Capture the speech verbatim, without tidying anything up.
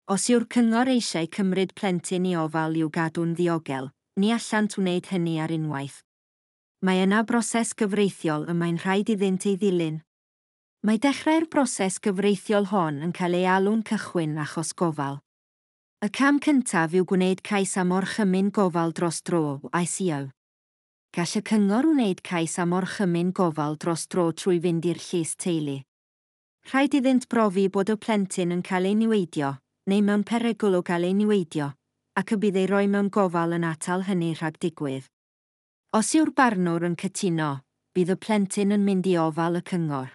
Os yw'r cyngor eisiau cymryd plentyn i ofal i'w gadw'n ddiogel, ni allant wneud hynny ar unwaith. Mae yna broses gyfreithiol y mae'n rhaid iddynt ei ddilyn. Mae dechrau'r broses gyfreithiol hon yn cael ei alw'n cychwyn achos gofal. Y cam cyntaf yw gwneud cais am orchymyn gofal dros dro, I C O. Gall y cyngor wneud cais am orchymyn gofal dros dro trwy fynd i'r llys teulu. Rhaid iddynt brofi bod y plentyn yn cael ei niweidio, neu mewn perygl o gael ei niweidio, ac y bydd ei roi mewn gofal yn atal hynny rhag digwydd. Os yw'r barnwr yn cytuno, bydd y plentyn yn mynd i ofal y cyngor.